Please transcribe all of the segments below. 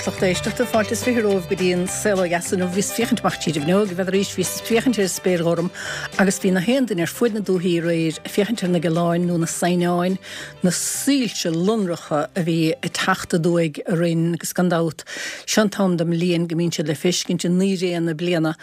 agus lucht éisteachta, fáilte is 20 romhaibh go dtí an Saol Ó Dheas inniu. Bhíos ag féachaint amach tríd an bhfuinneog, n'fheadar arís, bhíos ag féachaint ar an spéir ghorm agus bhí na haon duine ar fuaid na dúthaí aréir ag féachaint ar na gealáin nó na saighneáin, na soilse lonracha a bhí ag teacht aduaidh orainn agus gan dabht, seo an t-am den mbliain go mbíonn siad le feiscint i ndaoiréanna bliana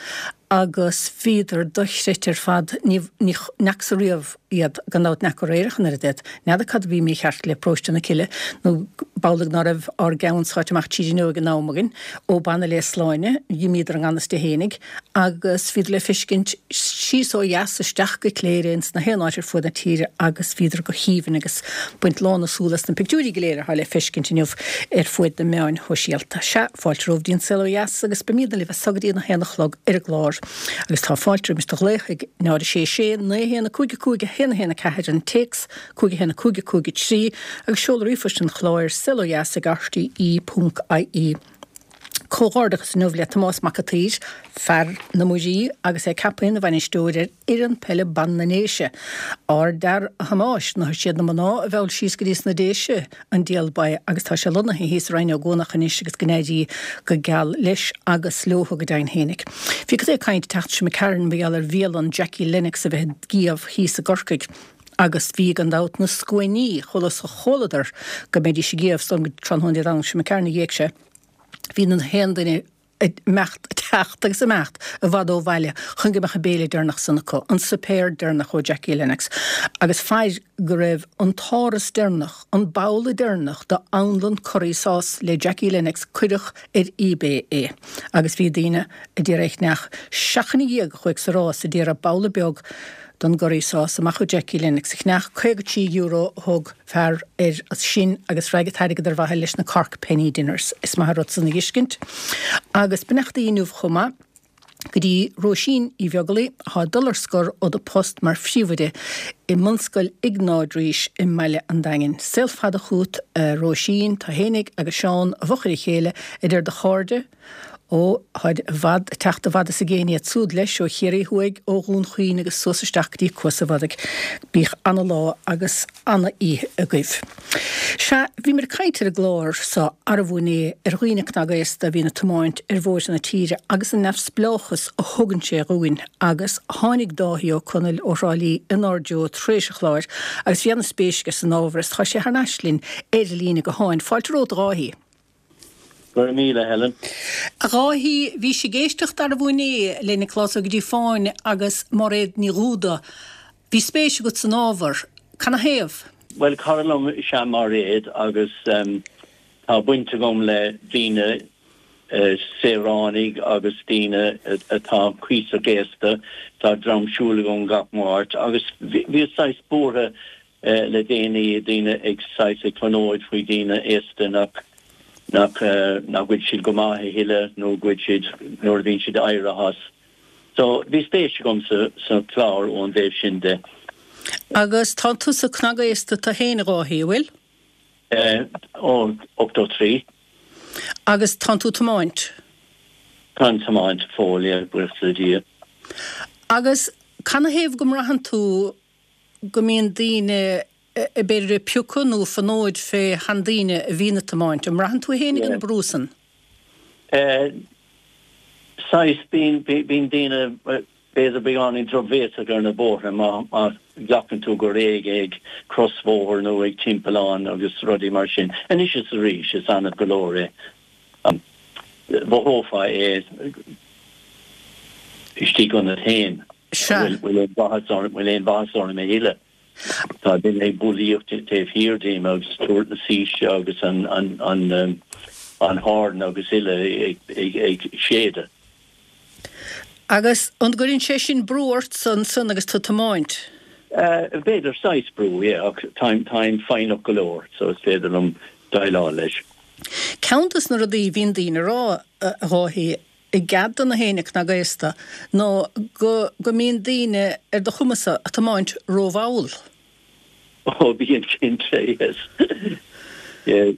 agus bhíodar dochreidte ar fad, ní, ní fhacsa riamh iad, gan dabht n'fheaca aréir ach an oiread iad. N'fheadar cad a bhí mícheart le paróiste na Cille, nó b'amhlaidh ná raibh ár gceann sáite amach tríd an fhuinneog in am againn, ó b'annamh le Sláine, dh'imíodar i ngan fhios di fhéinig, agus bhíodar le feiscint síos ó dheas isteach go Cléire ins na haon áit ar fuaid na tíre agus bhíodar go haoibhinn agus baint lán na súl as na pictiúirí go léir atá le feiscint inniu ar fuaid na meáin shóisialta. Sea, fáilte romhaibh dtí an Saol Ó Dheas agus beimídne libh as so go dtí an 1 a chlog ar an gclár. Agus tá fáilte roimis do ghlaoch ag 0 6 6 9 1 5 5 1 1 4, an téacs 5 1 5 5 3 agus seol ríomhphost an chláir saolodheas ag rte.ie. Comhghairdeachas inniu le Tomás Mac a' tSaoir, fear na Muirí, agus é ceaptha ina bhainisteoir ar fhoireann peile ban na nDéise. Ardfhear a Thomáis, nó siad na mná a mheall síos go dtí sna Déise an diabhal ba agus tá sé lonnaithe thíos i Rinn Ó gCuanach anois agus go n-éirí go geal leis agus leothu go deimhin fhéinig. Bhí cuid ag caint an tseachtain seo imigh tharainn mar gheall ar bhialann Jackie Lennox a bheith ag gíomh thíos i gCorcaigh agus bhí gan dabht na scuainí chomh luath is a chualadar go mbeidís ag gíomh san tráthnóna Dé Domhnaigh seo imigh tharainn a d'éag sé. Bhí na haon duine ag imeacht, ag teacht agus ag imeacht i bhfad ó bhaile chun go mbeadh an béile deireanach san acu, an suipéar deireanach ó Jackie Lennox. Agus fair go raibh an t-áras deireanach, an babhla deireanach d'anlann curry sauce le Jackie Lennox, cuireadh ar eBay é agus bhí daoine a d'iarraidh é cheannach. Seachtain ina dhiaidh a chuaigh sa rás a d'iarraidh babhla beag don gcurry sauce amach ó Jackie Lennox a cheannach, €53 a thug fear air sin agus raghaidh an t-airgead ar mhaithe leis na Cork Penny Dinners. Is maith an rud san a dh'fheiscint. Agus beannachtaí inniu chomh maith go dtí Róisín Uí Bheaglaoi atá ag dul ar scor ó da post mar phríomhoide i mBunscoil Iognáid Rís i mbaile an Daingin. Saol fada chút a Róisín, tá fhéinig agus Seán i bhfochair a chéile a deir do chairde, Ó, tháid i bhfad, ag teacht i bhfad is i gcéin iad súd leis, ó Chiarraí Thuaidh, ó Dhún Chaoin agus suas isteach go dtí Cuas a' Bhodaigh. Bíodh ana-lá agus ana-oíche agaibh. Sea, bhíomar ag caint ar an gclár so arbh inné ar dhaoine cnagaosta a bhíonn ag tiomáint ar bhóithre na tíre agus an neamhspleáchas a thugann sé dhúinn agus tháinig Dáithí Ó Conaill ó Thrá Lí inár dtreo tar éis an chláir agus bhí ana-spéis aige san ábhar is tá sé thar n-ais linn ar líne gutháin. Fáilte romhat a Dháithí. Go raibh míle, Helen. A Dháithí, bhís ag éisteacht arbh inné le Nioclás Ó Gríofáin agus Máiréad Ní Dhúda. Bhí spéis agat san ábhar. Canathaobh? Bhuel, cara liom is ea Máiréad agus tá baint agam le daoine, saoránaigh agus daoine atá cuíosach aosta. Tá dream siúil agam gach Máirt agus bhíos saghas buartha le déanaí, daoine ag saghas ag fonóid faoi daoine aosta nach nach nach bhfuil siad go maith a thuilleadh nó go bhfuil siad nuair a bhíonn siad éirithe as. So bhí spéis agam sa sa chlár ón dtaobh sin de. Agus tá tusa cnagaosta tu fhéin a Dháithí, an bhfuil? Ó, 83. Agus tánn tú tiomáint? Táim tiomáint fóill, yeah, buíochas le Dia. Agus canathaobh go mbraitheann tú go mbíonn daoine b'fhéidir ag piocadh nó ag fonóid fé sheandaoine a bhíonn ag tiomáint. An mbraitheann tú fhéinig an brú san? Saghas, bíonn, bíonn daoine b'fhéidir beagáinín drochbhéasach ar na bóithre má, má ghlacann tú go réidh ag crosbhóthar nó ag timpeallán agus rudaí mar sin. Anois is arís, is annamh go leor é. Mhothófá é istigh ionat féin. Sea. Bhfuil aon mhaitheas orm, bhfuil aon mhaitheas orm a thuilleadh? Tá duine ag bulaíocht taobh thiar díom agus tabhairt na saoirse agus an, an, an, an horn agus uile ag, ag, ag séideadh. Agus an gcuireann sé sin brú ortsa ansan agus tú ag tiomáint? B'fhéidir saghas brú, yeah, ach táim, táim foighneach go leor so is féidir liom déileáil leis. Ceann dos na rudaí a bhíonn daoine a rá, a Dháithí, i gcead do na héinne cnagaosta ná go go mbíonn daoine ar do chuma-sa a' tiomáint rómhall. Ó bíonn cinnte, yes. Yeah,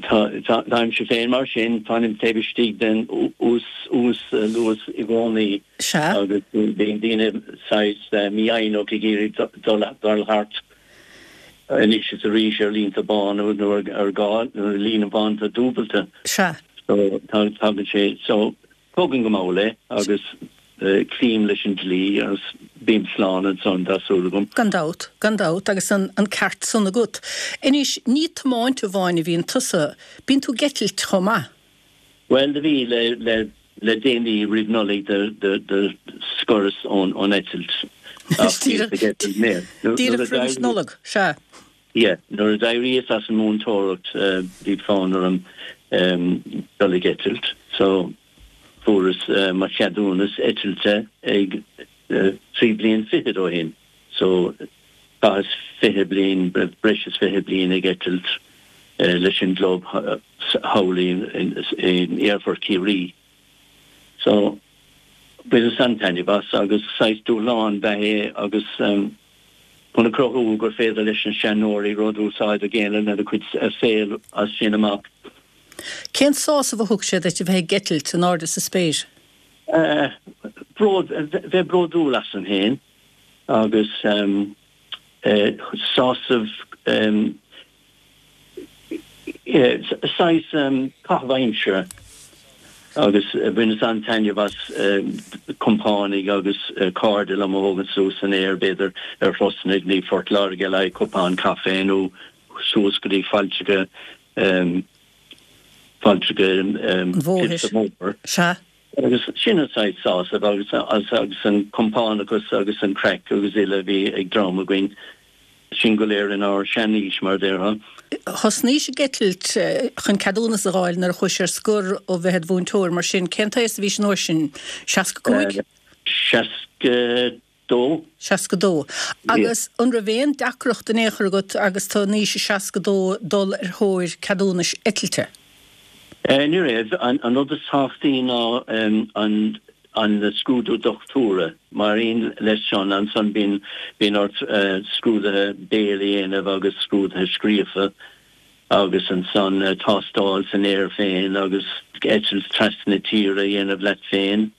táimse féin mar sin, fanaim taobh istigh den uas-luas i gcónaí Sea. agus bíonn daoine saghas mífhoighneach ag iarraidh dul dul thart anois is arís ar línte bána nó ar gá, nuair líne bán atá dúbailte. Sea. So tá, tagann sé, so tógaim go mall é agus cloím leis an dlí agus bím slán ansan, tá súil agam. Gan dabht, gan dabht, agus an ceart san agat. Anois, ní ag tiomáint amháin a bhíonn tusa, bíonn tú ag eitilt chomh maith. Bhuel, do bhí, le, le, le déanaí roimh Nollaig do, do, do scoras ón, ón eitilt ach bhíos ag eitilt mé. Díreach roimis Nollaig, sea. Yeah, nuair a d'éiríos as an múinteoireacht bhí fonn orm dul ag eitilt so fuaireas mo cheadúnas eitilte ag 3 bliain fichead ó shin so chaitheas 20 bliain, breis is 20 bliain ag eitilt leis an gclub thall in Aerfort Chiarraí. So bhaineas an-taitneamh as agus saghas dúshlán ab ea é agus chun a chruthú gur féidir leis na seanóirí rud úsáideach a dhéanamh lena gcuid saoil as sin amach. Cén sásamh a thug sé duit a bheith ag eitilt in airde sa spéir? Bród, bheith bródúil asam féin agus sásamh saghas caitheamh aimsire agus bhaineas an-taitneamh as compánaigh agus cairde liom a thógaint suas san aer, b'fhéidir ar thurasanna go dtí Phort Láirge le haghaidh cupán caife nó suas go dtí failltreacha failltreacha an Bhóthair. Sea. Agus sin an saghas sásamh agus agus an compánachas agus an craic agus uile a bhí ag dream againn. Sinn go léir inár seanaois, mar a déarfá. Thosnaís ag eitilt chun ceadúnas a dh'fháil nuair a chuais ar scor ó bheith id mhúinteoir, mar sin, cén t-aos a bhís an uair sin? 65? 62. 62. Agus an raibh aon deacracht in aon chor agat agus tú in aois a 62 dul ar thóir ceadúnais eitilte? Ní raibh. An rud is tábhachtaí ná an an scrúdú dochtúra. Mar aon leis san, ansan bíonn bíonn ort scrúduithe béil a dhéanamh agus scrúduithe scríofa agus ansan tástáil san aer féin agus eitilt trasna tíre a dhéanamh leat féin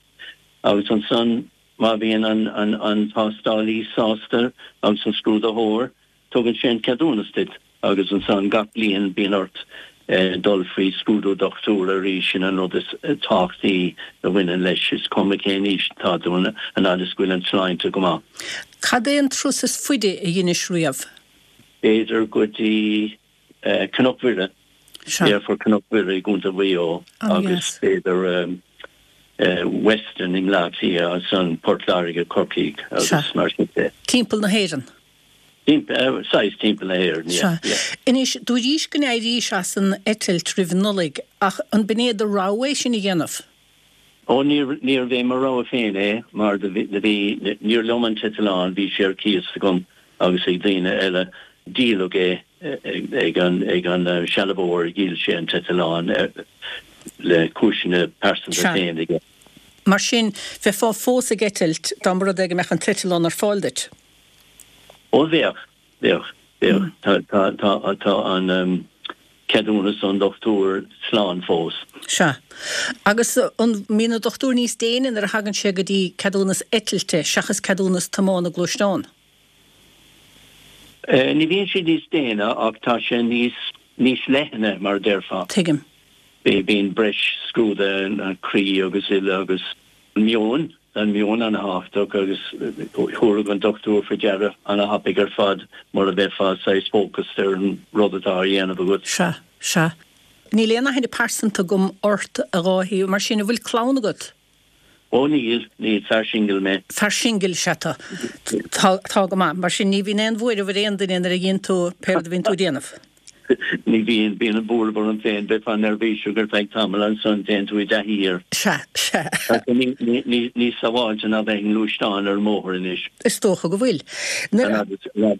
agus ansan má bhíonn an an an tástálaí sásta agus an scrúdaitheoir Tugann sé an ceadúnas duit agus ansan gach bliain bíonn ort dul faoi scrúdú dochtúra arís, sin an rud is tábhachtaí a bhaineann leis, is cuma cén aois atá tú an fhad is go bhfuil an tsláinte go maith. Cad é an turas is faide a dheinis riamh? B'fhéidir go dtí Cnoc Mhuire, Aerfort Chnoc Mhuire i gContae Mhaigh Eo agus b'fhéidir Weston i mBleá Cliath, ansan Port Láirge, Corcaigh agus mar sin de. Timpeall na hÉireann? Saghas timpeall na hÉireann, yeah, yeah. Anois, dúraís go n-éirís as an eitilt roimh Nollaig, ach an b'in é do rogha é sin a dhéanamh? Ó, níorbh é mo rogha féin é, mar do bhí, níor liom an t-eitleán, bhí sé ar cíos agam agus ag daoine eile. Díoladh é ag an, ag an sealbhóir, dhíol sé an t-eitleán le cúiseanna pearsanta féin aige. Mar sin, bheifeá fós ag eitilt dá mba rud é go mbeadh an t-eitleán ar fáil duit? Ó bheadh, bheadh, bheadh. Tá, tá, tá, tá an ceadúnas ón dochtúir slán fós. Sea. Agus an mbíonn an dochtúir níos déine nuair a thagann sé go dtí ceadúnas eitilte seachas ceadúnas tiomána gluaisteán? Ní bhíonn sé níos déine ach tá sé níos, níos leithne mar a déarfá. Tuigim. Bíonn breis scrúduithe an croí agus uile agus an meon. An meon ana-thábhachtach agus thabharfadh an dochtúir faoi deara ana-thapaidh ar fad mura mbeifeá saghas focused ar an rud atá á dhéanamh agat. Sea, sea. Níl aon aithne pearsanta agam ort, a Dháithí, mar sin, an bhfuil clann agat? Ó níl, níl, fear singil mé. Fear singil, sea tú. Tá, tá go maith. Mar sin, ní bhíonn aon bhuaireamh ar aon duine nuair a dhéanann tú pé rud a bhíonn tú a dhéanamh. Ní bhíonn, bíonn an buaireamh orm féin, bheifeá neirbhíseach ar feadh tamaill, ansan téann tú i dtaithí air. Sea, sea. Tá sé níos sábháilte ná bheith i ngluaisteán ar an mbóthar anois. Is dócha go bhfuil. An fhad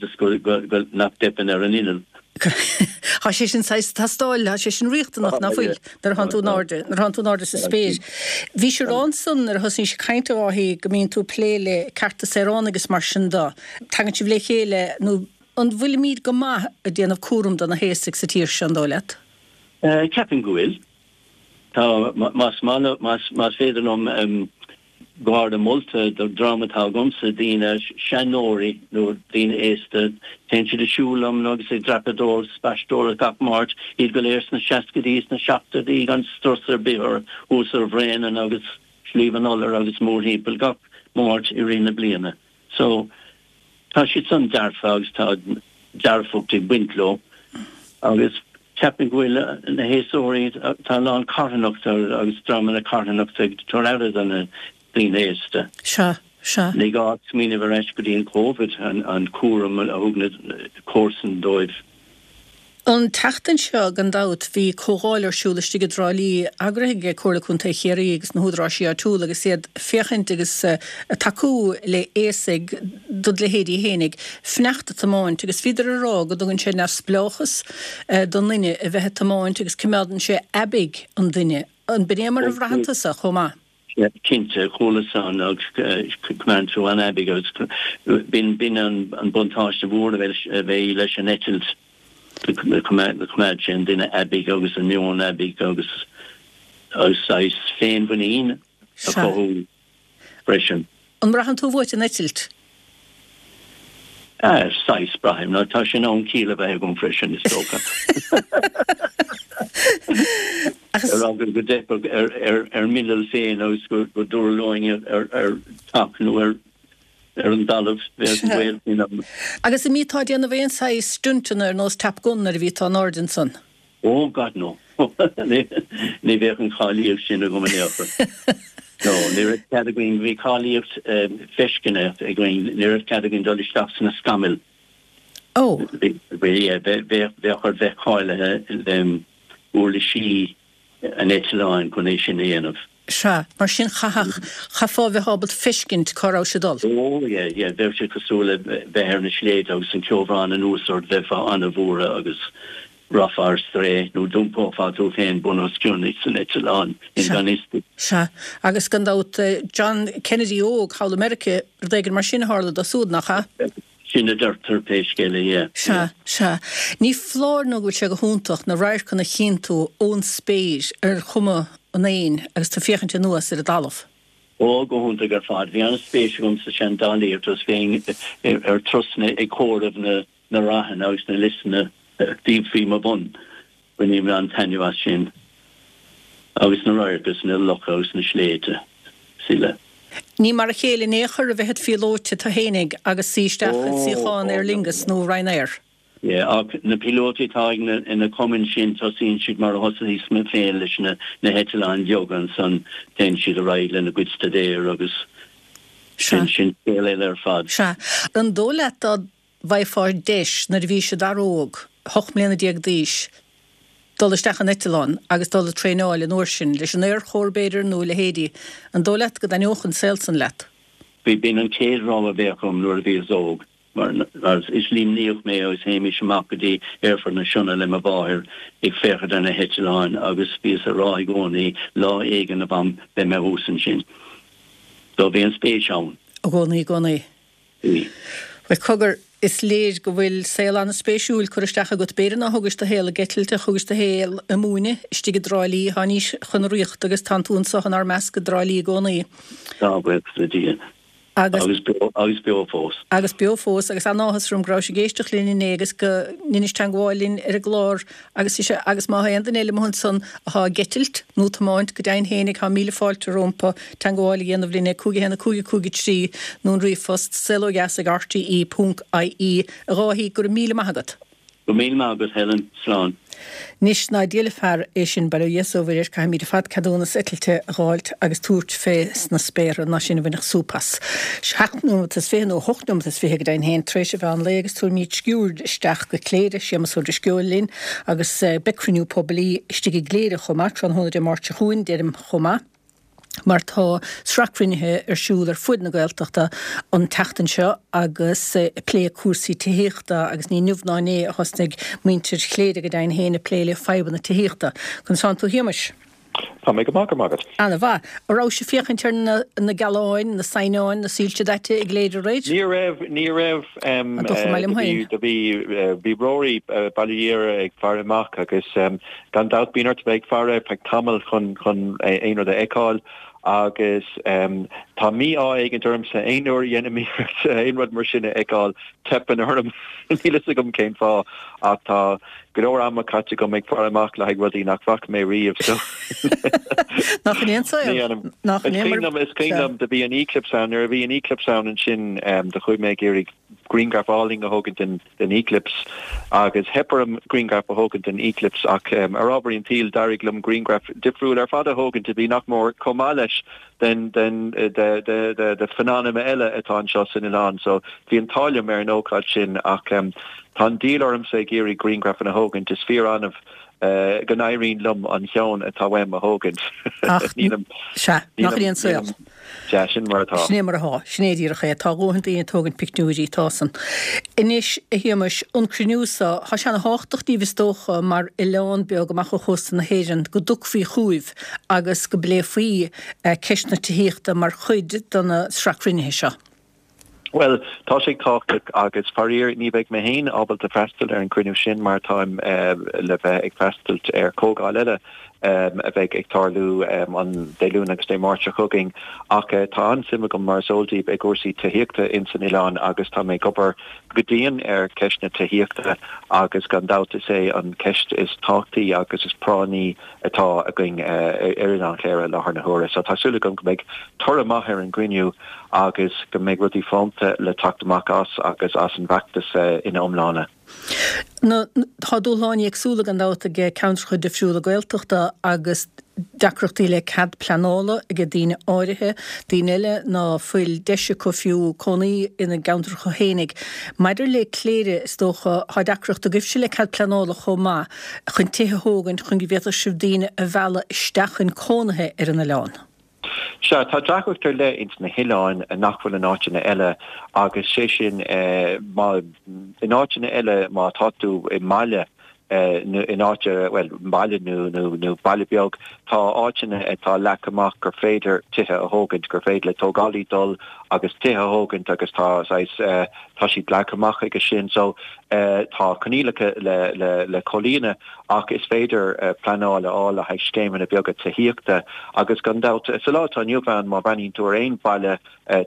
is go, go, nach dteipeann ar an inneall. Tá sé sin saghas tástáil, tá sé sin riachtanach, ná fuil, nuair a thánn tú in airde, nuair a thánn tú in airde sa spéir. Bhís ag rá ansan nuair a thosnaís ag caint a Dháithí go mbíonn tú ag plé le cearta saoránaigh is mar sin de. Tagann sibh le chéile nó An bhfuilimíd go maith ag déanamh cúram do na haosaigh sa tír seo, an dóigh leat? Ceapaim go bhfuil. Tá, más maith, más féidir liom. Garda molta do dhream atá agamsa, daoine, seanóirí nó daoine aosta. Téann siad ag siúl liom agus ag dreapadóireacht, spaisteoireacht gach Máirt, iad go léir sna seascaidí, sna seachtóidí gan strus ar bith orthu, thuas ar Bhréanainn agus Sliabh an Iolair agus mórthimpeall gach Máirt i rith na bliana. So, tá siad san dearfa agus tá dearfacht ag baint leo agus ceapaim go bhfuil na haosóirí, tá a lán carthanachta agus dreamanna carthanachta ag tabhairt aire do na daoine aosta. Sea, sea. Ní gá ach smaoineamh ar ais go dtí an Covid, an cúram a thug na comharsana dóibh. An tseachtain seo, gan dabht, bhí comhdháil ar siúl istigh i dTrá Lí, eagraithe ag Comhairle Contae Chiarraí agus na húdaráisí áitiúla agus iad ag féachaint agus ag tacú le aosaigh dod leithéidí fhéinig, fanacht ag tiomáint agus bhíodar ag rá go dtugann sé neamhspleáchas don duine a bheith ag tiomáint agus coimeádann sé aibidh an duine. An b'in é mar a bhraitheann tusa chomh maith? Cinnte, chuala san agus coimeádann tú an-aibidh agus b'in an buntáiste mhór a bheidh leis an eitilt, coimeád sé an duine aibidh agus an meon aibidh agus saghas féinmhuinín a chothú freisin. An mbraitheann tú uait an eitilt? Saghas, braithim. Nó tá sé in am ciall a bheith agam freisin, is dócha. Ar eagla go dteipfeadh ar m'inneall féin agus go dtuirleoinn ar teach nó ar an dtalamh, bheadh an baol sin ann. Agus an mbíteá ag déanamh aon saghas stuntanna ar nós Top Gun nuair a bhí tú in airde ansan? Oh God no. Ní bheadh an cháilíocht sin agam in aon chor. No, ní raibh cead againn, bhí cáilíocht feiscine againn, ní raibh cead againn dul isteach sna scamaill. Oh. Bhí, yeah, bheadh ort bheith cáilithe le uirlisí an eitleáin chun é sin a dhéanamh. Sea, mar sin chaithfeadh, chaithfeá a bheith ábalta feiscint cá raibh sé ag dul. Ó, yeah, yeah, bheadh sé cosúil le bheith ar na sléibhte agus an ceobhrán anuas ort, bheifeá an-bhuartha agus rachfá ar strae nó d'iompófá tú féin bun os cionn san eitleán i ngan fhios duit. Sea, agus gan dabht, John Kennedy óg thall i Meirice, rud éigin mar sin a tharla dó súd, nach ea? Sin a deirtear, pé scéal é, yeah. Sea, sea. Ní foláir nó go bhfuil sé go hiontach na radharcanna a chíonn tú ón spéir ar chuma an éin agus tú ag féachaint anuas ar an dtalamh. Ó, go hiontach ar fad. Bhí an-spéis agam sa seandálaíocht agus bheinn ar turasanna ag comhaireamh na na ráthanna agus na liosanna a bhí faoi mo bhun. Bainim an-taitneamh as sin. Agus na radhairc agus na locha agus na sléibhte is uile. Ní mar a chéile in aon chor a bheith id phíolóta tú fhéinig agus suí isteach i suíochán Aer Lingus nó Ryanair. Yeah, ach na píolótaí atá ag na, na cumainn sin, tosaíonn siad mar a thosaíos mé féin leis na, na heitleáin bheaga ansan téann siad ar aghaidh lena gcuid staidéir agus sin, sin scéal eile ar fad. Sea. An dóigh leat dá bhfaighfeá deis nuair a bhís i d'fhear óg, 18 mbliana d'aois, dul isteach in eitleán agus dul ag traenáil an uair sin, leis an Aerchór b'fhéidir nó a leithéidí, an dóigh leat go dtaitneodh an saol san leat? Bhí, b'in an chéad rogha a bheadh agam nuair a bhíos óg, mar is Luimníoch mé agus théimis amach go dtí Aerfort na Sionna le mo mháthair ag féachaint ar na heitleáin agus bhíos ag rá i gcónaí, lá éigin a mham, beidh mé thuas ansin. So bhí an spéis ann. I gcónaí, i gcónaí. Bhí. Bhuel, cogar, is léir go bhfuil saol an-spéisiúil curtha isteach agat. B'fhéidir nár thugais do shaol ag eitilt ach thugais do shaol ag múineadh istigh i dTrá Lí. Tháinís chun ríochta agus tánn tú anso inár measc i dTrá Lí i gcónaí. Tá, buíochas le Dia. Agus. Agus beo, agus beo fós. Agus beo fós. Agus an-áthas orm go rabhais ag éisteacht linn inné agus go ndeinis teangmháil linn ar an gclár Agus is ea, agus má thá aon duine eile amuigh ansan athá ag eitilt, nó tiomáint, go deimhin fhéinig, thá míle fáilte rómpa teangmháil a dhéanamh linn ag 5 1 5 5 3 nó an ríomhphost, saolódheas ag rte ponc ie. A Dháithí, go raibh míle maith agat. Go raibh míle maith agat, Helen. Slán. Anois, ná diail fear é sin, bail ó Dhia 's ó Mhuire air, caithfimíd ar fad ceadúnas eitilte a dh'fháilt agus tabhairt fé sna spéartha, ná sinn a bhainfeadh súp as. Seacht nóimeat is fiche, nó hocht nóimeat is fiche go deimhin féin, tar éis an mheán lae agus tabharfaimid sciuird isteach go Cléire, Séamus Ó Drisceoil linn agus beidh cruinniú poiblí istigh i gCléire chomh maith tráthnóna Dé Máirt seo chugainn, deirim chomh maith mar tá sraith cruinnithe ar siúl ar fuaid na Gaeltachta an tseachtain seo agus ag plé cúrsaí tithíochta agus ní inniu ná inné a thosnaigh muintir Chléire go deimhin féin ag plé le fadhbanna tithíochta. Conas tánn tú a Shéamais? Tá mé go maith, go raibh maith agat. Ana-mhaith. An rabhais ag féachaint ar na gealáin, na saighneáin, na soilse daite i gCléire aréir? Ní raibh, ní raibh. An dócha maith liom féin. Do bhí, bhí Rory Baile Dhéire ag faire amach agus gan dabht bíonn ort a bheith ag faire ar feadh tamaill chun, chun aon rud a fheiceáil. Agus tá mí-ádh éigint ormsa, aon uair a dhéanaim iarracht aon rud mar sin a fheiceáil, teipeann orm. Níl fhios agam cén fáth, ach tá go leor ama caite agam ag faire amach le haghaidh rudaí nach bhfaca mé riamh, so. Nach in é an saol? Nach in é mar. Is cuimhin liom, do bhí an eclipse ann, nuair a bhí an eclipse ann ansin, do chuaigh mé ag iarraidh grianghraf álainn a thógaint den den eclipse agus theip orm grianghraf a thógaint den eclipse ach ar ámharaí an tsaoil d'éirigh liom grianghraf difriúil ar fad a thógaint a bhí nach mór chomh maith leis den den de de de de phainorama eile atá anseo san oileán so bhí an t-ádh liom ar an ócáid sin ach tá an díol ormsa ag iarraidh grianghrafanna a thógaint is fíor annamh go n-éiríonn liom an ceann atá uaim a thógaint. Ach sea, nach in é an saol. Sea, sin mar atá. Sin é mar atá. Sin é díreach é. Tá a dhóthain daoine ag tógaint pictiúirí, tá san. Anois, a Shéamais, an cruinniú so, tá sé ana thábhachtach daoibh is dócha, mar oileán beag amach ó chósta na hÉireann, go dtiocfaí chugaibh agus go bpléifí ceist na tithíochta mar chuid de na sraith cruinnithe seo. Bhuel, tá sé tábhachtach agus faraor ní bheidh mé féin ábalta freastal ar an gcruinniú sin mar táim le bheith ag freastal ar chomhdháil eile a bheidh ag tarlú an Dé Luain agus Dé Máirt seo chugainn. Ach tá an-suim agam, mar is eol daoibh, i gcúrsaí tithíochta ins an oileán agus tá mé ag obair go dian ar cheist na tithíochta agus gan dabht is é an cheist is tábhachtaí agus is práinní atá againn ar Oileán Chléire i láthair na huaire. So tá súil agam go mbeidh toradh maith ar an gcruinniú agus go mbeidh rudaí fónta le teacht amach as agus as an bhfeachtas ina iomláine. Na, tá dúshláin éagsúla gan dabht ag ceantracha difriúla Gaeltachta agus deacrachtaí le cead pleanála ag daoine áirithe, daoine eile ná fuil deis acu fiú cónaí ina gceantracha fhéinig. Maidir le Cléire, is dócha, tá deacracht agaibhse le cead pleanála chomh maith chun tithe a thógaint chun go bhféadfadh sibh daoine a mhealladh isteach chun cónaithe ar an oileán. Sea, tá deacracht ar leith ins na hoileáin nach bhfuil in áiteanna eile agus sé sin má, in áiteanna eile má tá tú i mbaile nó in áit, bhuel, baile nó, nó, nó baile beag, tá áiteanna atá leagtha amach gur féidir tithe a thógaint, gur féidir le tógálaí dul agus tithe a thógaint agus tá saghas, tá siad leagtha amach aige sin. So, tá coinníollacha le, le, le comhlíonadh ach is féidir pleanáil a fháil le haghaidh scéimeanna beaga tithíochta agus gan dabht, sa lá atá inniu ann má bhreathnaíonn tú ar aon bhaile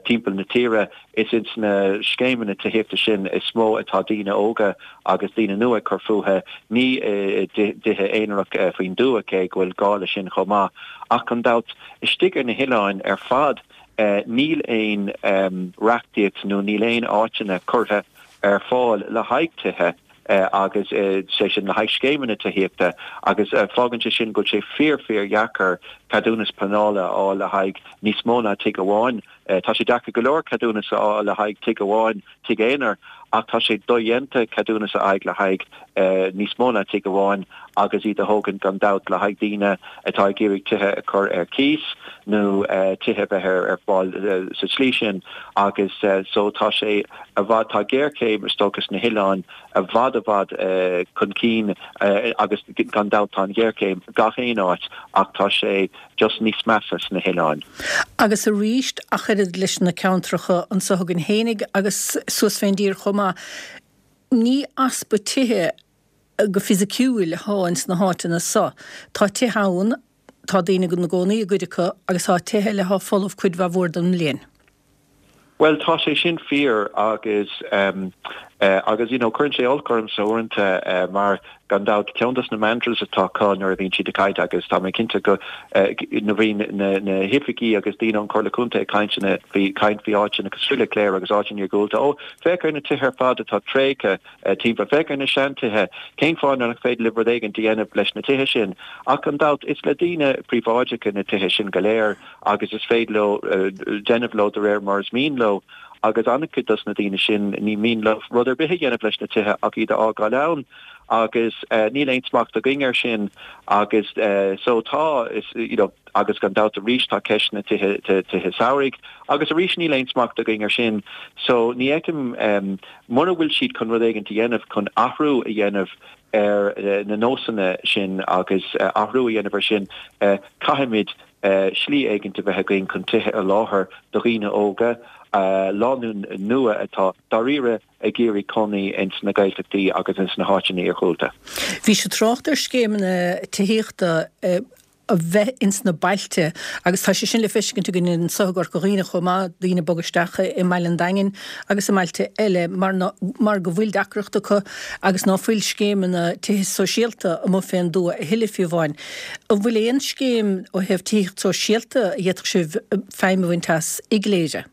timpeall na tíre, is ins na scéimeanna tithíochta sin is mó atá daoine óga agus daoine nua ag cur fúthu, ní i dtithe aonarach faoin dtuath, cé go bhfuil gá leis sin chomh maith. Ach gan dabht, istigh ar na hoileáin ar fad, níl aon reachtaíocht nó níl aon áiteanna curtha ar fáil le haghaidh tithe agus sé sin le haghaidh scéimeanna tithíochta agus fágann sé sin go bhfuil sé fíor fíor dheacair ceadúnas pleanála a fháil le haghaidh níos mó ná tigh amháin. Tá sé deacair go leor ceadúnas a fháil le haghaidh tigh amháin, tigh aonair, ach tá sé dodhéanta ceadúnas a fháil le haghaidh níos mó ná tigh amháin agus iad a thógaint gan dabht le haghaidh daoine atá ag iarraidh tithe a chur ar cíos nó tithe a bheith ar fáil sa tslí sin agus so tá sé i bhfad, tá géarchéim is dócha sna hoileáin i bhfad i bhfad chun cinn agus gan dabht tá an ghéarchéim gach aon áit ach tá sé just níos measa sna hoileáin. Agus arís, ach oiread leis na ceantracha anso againn fhéinig agus suas fén dtír chomh maith, ní easpa tithe go fisiciúil athá ins na háiteanna so. Tá tithe ann, tá daoine ina gcónaí i gcuid acu agus tá tithe eile athá folamh cuid mhaith mhór den mbliain. Bhuel, tá sé sin fíor agus agus you know cuireann sé olc ormsa uaireanta mar gan dabht ceann dos na mantras atá acu nuair a bhíonn siad ag caint agus tá mé cinnte go nuair a bhíonn na na hoifigí agus daoine ón Chomhairle Contae ag caint faoi caint faoi áiteanna cosúil le Cléire agus áiteanna iargúlta, ó féach ar na tithe ar fad atá tréigthe timpeall, féach ar na seantithe, cén fáth nach féidir libh rud éigin a dhéanamh leis na tithe sin? Ach gan dabht is le daoine príobháideacha na tithe sin go léir. agus is féidir leo déanamh leo de réir mar is mian leo agus an-chuid dos na daoine sin ní mian leo rud ar bith a dhéanamh leis na tithe ach iad a fhágáil ann agus níl aon smacht againn air sin agus so tá is you know agus gan dabht arís tá ceist na tithe tithe samhraidh agus arís níl aon smacht againn air sin so ní fheicim mura bhfuil siad chun rud éigin a dhéanamh chun athrú a dhéanamh ar na nósanna sin agus athrú a dhéanamh ar sin, caithfimid slí éigint a bheith againn chun tithe a sholáthar do dhaoine óga, lánúin nua atá dáiríre ag iarraidh cónaí ins na Gaeltachtaí agus ins na háiteanna iarghúlta. Bhís ag trácht ar scéimeanna tithíochta. a bheith ins na bailte agus tá sé sin le feiscint againn anso i gCorca Dhuibhne chomh maith, daoine ag bogadh isteach i mBaile an Daingin agus i mbailte eile mar ná, mar go bhfuil deacracht acu agus ná fuil scéimeanna tithe sóisialta amuigh fén dtuath a thuilleadh fiú amháin. An bhfuil aon scéim ó thaobh tithíocht sóisialta a d'fhéadfadh sibh feidhm a bhaint as i gCléire?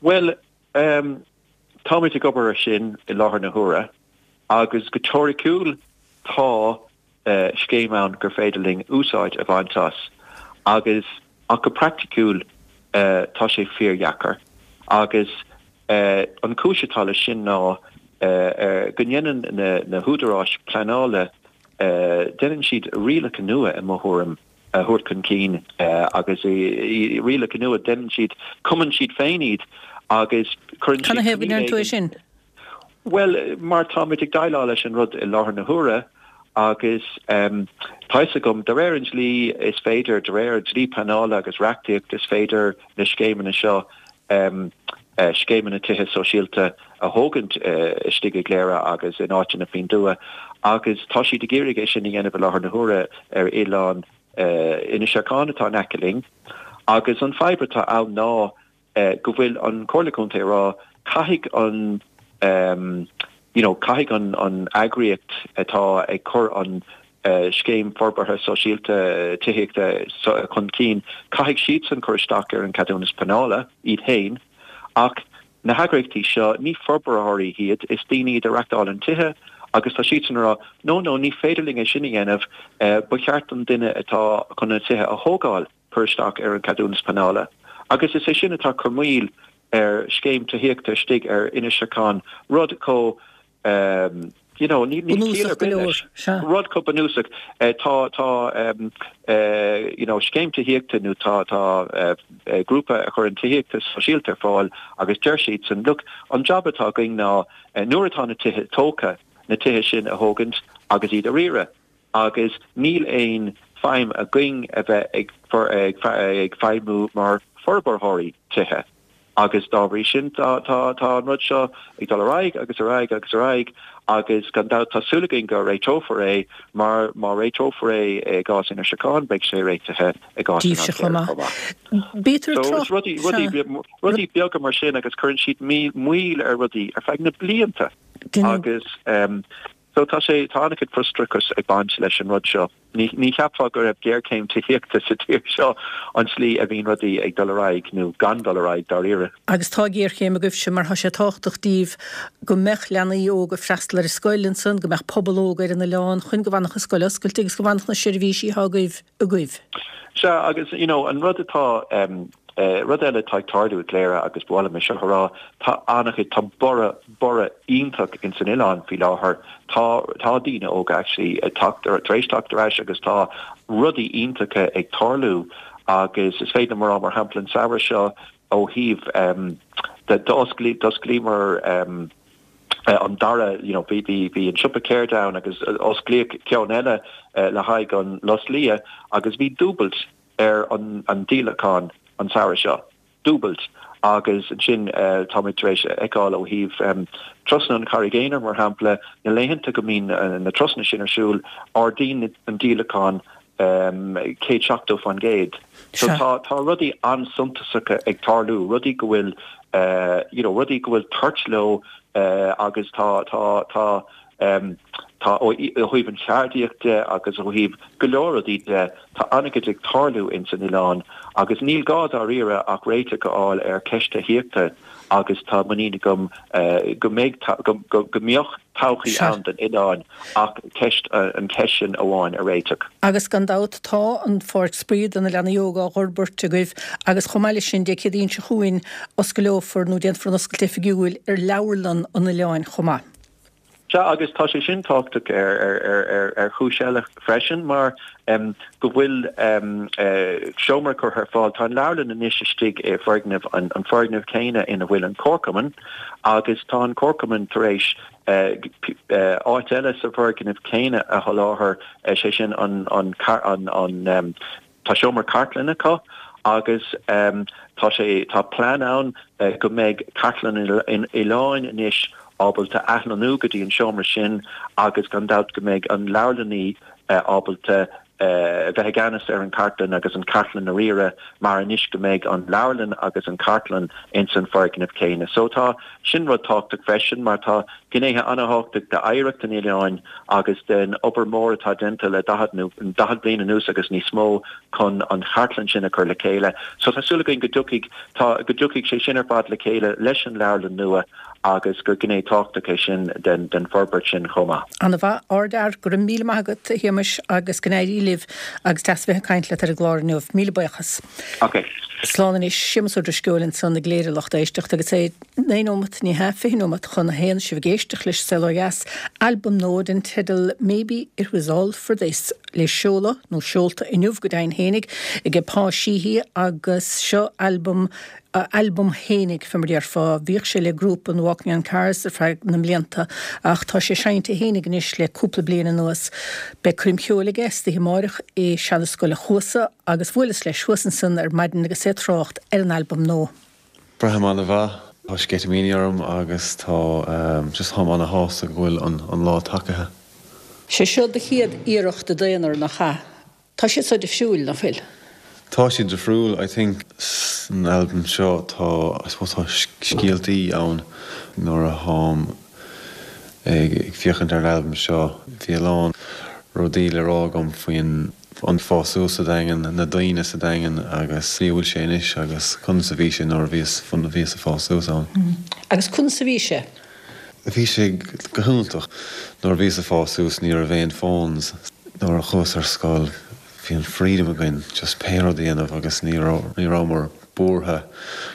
Bhuel, táimid ag obair ar sin i láthair na huaire agus go teoiriciúil tá scéim ann gur féidir linn úsáid a bhaint as agus ach go praiticiúil tá sé fíordheacair agus an chúis atá leis sin ná go ndéanann na húdaráis pleanála déanann siad rialacha nua i mo thuairim a thabhairt chun cinn agus rialacha nua déanann siad cumann siad féin iad agus cuireann siad Canathaobh go ndeireann tú é sin? Bhuel, mar táimid ag déileáil leis an rud i láthair na huaire agus tá fhios agam, de réir an dlí is féidir, de réir dlí pleanála agus reachtaíocht is féidir na scéimeanna seo, scéimeanna tithe sóisialta a thógaint istigh i gCléire agus in áiteanna faoin dtuath agus tá siad ag iarraidh é sin a dhéanamh i láthair na huaire ar oileán Inis Ceithleann atá in aice linn agus an fadhb atá ann ná go bhfuil an Comhairle Contae ag rá caithfidh an you know caithfidh an an eagraíocht atá ag cur an scéim forbartha sóisialta tithíochta chun cinn, caithfidh siadsan cur isteach ar an ceadúnas pleanála iad féin ach na heagraíochtaí seo ní forbróirí iad, is daoine iad a reachtálann tithe agus tá siadsan ag rá no no ní féidir linn é sin a dhéanamh, ba cheart don duine atá chun na tithe a thógáil. cur isteach ar an cheadúnas pleanála agus is é sin atá ag cur moill ar scéim tithíochta istigh ar Inis Ceithleann, rud chomh you know níl ciall ar bith leis, rud chomh bunúsach. Tá tá you know scéim tithíochta nó tá tá grúpa a chuireann tithíochta sóisialta ar fáil agus deir siadsan look an jab atá againn ná nuair atá na tithe tógtha na tithe sin a thógaint agus iad a riaradh. agus níl aon feidhm againn a bheith ag ag feidhmiú mar forbarthóirí tithe agus dá bhrí sin tá tá tá an rud seo ag dul ar aghaidh agus ar aghaidh agus ar aghaidh agus gan dabht tá súil againn go réiteofar é mar má réiteofar é i gcás Inis Ceithleann beidh sé réitithe i gcás Oileán Chléire chomh maith. Bítear So is rudaí rudaí rudaí beaga mar sin agus cuireann siad moill ar rudaí ar feadh na blianta agus So tá sé, tá an-chuid frustrachas ag baint leis an rud seo. Ní, ní cheapfá go raibh géarchéim tithíochta sa tír seo an tslí a bhíonn rudaí ag dul ar aghaidh, nó gan dul ar aghaidh, dáiríre. Agus tá géarchéim agaibhse mar tá sé tábhachtach daoibh go mbeadh leanaí óga ag freastal ar an scoil ansan, go mbeadh pobal óg ar an oileán chun go bhfanfadh an scoil oscailte agus go bhfanfadh na seirbhísí atá agaibh agaibh. Sea, agus you know an rud atá, em, rud eile atá ag tarlú i gCléire agus ba mhaith liom é seo a rá, tá an-chuid, tá borradh, borradh iontach ins an oileán faoi láthair. Tá, tá daoine óga actually ag teacht, tar éis teacht ar ais agus tá rudaí iontacha ag tarlú agus is féidir liom a rá mar shampla an samhradh seo ó thaobh, em, d'osclaíomar, em, an dara, you know, bhí, bhí, bhí an siopa ceirde ann agus osclaíodh ceann eile le haghaidh an Lus Liath agus bhí dúbailt ar an an díolachán an samhradh seo. Dúbailt. Agus ansin táimid tar éis a fheiceáil ó thaobh turasanna an Charraig Aonair, mar shampla, na laethanta go mbíonn na turasanna sin ar siúl, ardaíonn an díolachán 170%. So tá tá rudaí an-suntasacha ag tarlú, rudaí go bhfuil you know rudaí go bhfuil toirt leo agus tá tá tá Tá, ó thaobh an cheardaíocht de agus ó thaobh go leor rudaí de, tá an-chuid ag tarlú ins an oileán agus níl gá dáiríre ach réiteach a fháil ar cheist tithíochta agus tá muinín agam go mbeidh, go mbeadh todhchaí ann don oileán ach ceist, an cheist sin amháin a réiteach. Agus gan dabht tá an pháirc spraoi do na leanaí óga á fhorbairt agaibh agus chomh maith leis sin Dé Céadaoin seo chugainn oscaileofar nó déanfar an oscailt oifigiúil ar leabharlann an oileáin chomh maith. Sea, agus tá sé sin tábhachtach ar chúis eile freisin, mar go bhfuil seomra curtha ar fáil. Tá an leabharlann anois istigh i bhfoirgneamh, an foirgneamh céanna ina bhfuil an comharchumann, agus tá an comharchumann tar éis áit eile sa bhfoirgneamh céanna a sholáthar, sé sin an Tá seomra cartlainne acu agus tá sé, tá plean ann go mbeidh Cartlann an Oileáin anois ábalta athlonnú go dtí an seomra sin agus gan dabht go mbeidh an leabharlannaí ábalta. bheith i gceannas ar an chartlann agus an chartlann a riaradh mar anois go mbeidh an leabharlann agus an chartlann ins an foirgneamh céanna. So tá sin rud tábhachtach freisin mar tá gnéithe an-thábhachtach d'oidhreacht an oileáin agus den obair mhór atá déanta le 40 nó 40 bliain anuas agus níos mó chun an chartlann sin a chur le chéile. So tá súil againn go dtiocfaidh tá go dtiocfaidh sé sin ar fad le chéile leis an leabharlann nua agus gur gné tábhachtach é sin den den forbairt sin chomh maith. Ana-mhaith, ardfhear, go raibh míle maith agat a Shéamais agus go n-éirí libh agus deas a bheith ag caint leat ar an gclár inniu. Míle buíochas. Ok. Slán anois. Séamus Ó Drisceoil ansan ag léiriú lucht éisteachta agus é 9 nóimeat, ní hea, 20 nóimeat chun a haon, sibh ag éisteacht leis Saol Ó Dheas, albam nua den teideal Maybe It Was All For This le seoladh, nó seolta inniu go deimhin fhéinig, ag Pa Sheehy agus seo albam a albam fhéinig, fé mar déarfá. Bhíodh sé le grúpa an Walking on Cars ar feadh na mblianta ach tá sé seinnte fhéinig anois le cúpla bliain anuas. Beidh coirm cheoil aige istoíche amáireach i Seana-Scoil a' Chuasa agus bhuaileas leis thuas ansan ar maidin agus é ag trácht ar an albam nua. Braithim an-mhaith. Tá sceitimíní orm agus tá just táim ana-shásta go bhfuil an lá tagaithe. Sé seo do chéad iarracht i d'aonar, nach ea? Tá siad so difriúil, nach bhfuil? Tá siad difriúil. I think san albam seo tá, I suppose tá scéaltaí ann. Nuair a tháim ag féachaint ar an albam seo bhí a lán rudaí le rá agam faoin an fás suas sa Daingean, na daoine sa Daingean agus slí a bhfuil sé anois agus conas a bhí sé nuair a bhíos, bhíos ag fás suas ann. Agus conas a bhí sé? Bhí sé go hiontach. Nuair a bhíos ag fás suas ní raibh aon phones. Nuair a chuas ar scoil bhí an freedom againn just pé rud a dhéanamh agus ní raibh, ní rabhamar buartha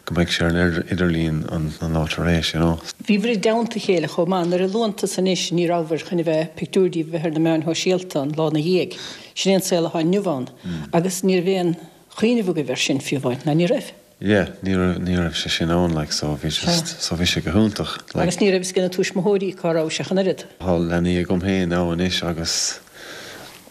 go mbeadh sé ar an idirlíon an lá tar éis, you know. Bhíobhair i dteannta a chéile chomh maith. Nuair a luann tusa anois ní rabhabhair chun a bheith, pictiúir díbh a bheith ar na meáin shóisialta an lá 'na dhiaidh. Sin é an saol atá inniu ann. Agus ní raibh aon chuimhneamh agaibh air sin fiú amháin, ná ní raibh? Yeah, ní raibh, ní raibh sé sin ann like so bhí just, so bhí sé go hiontach like. Agus ní raibh fhios ag na tuismitheoirí cá raibh sé ach an oiread. Tá leanaí agam féin now anois agus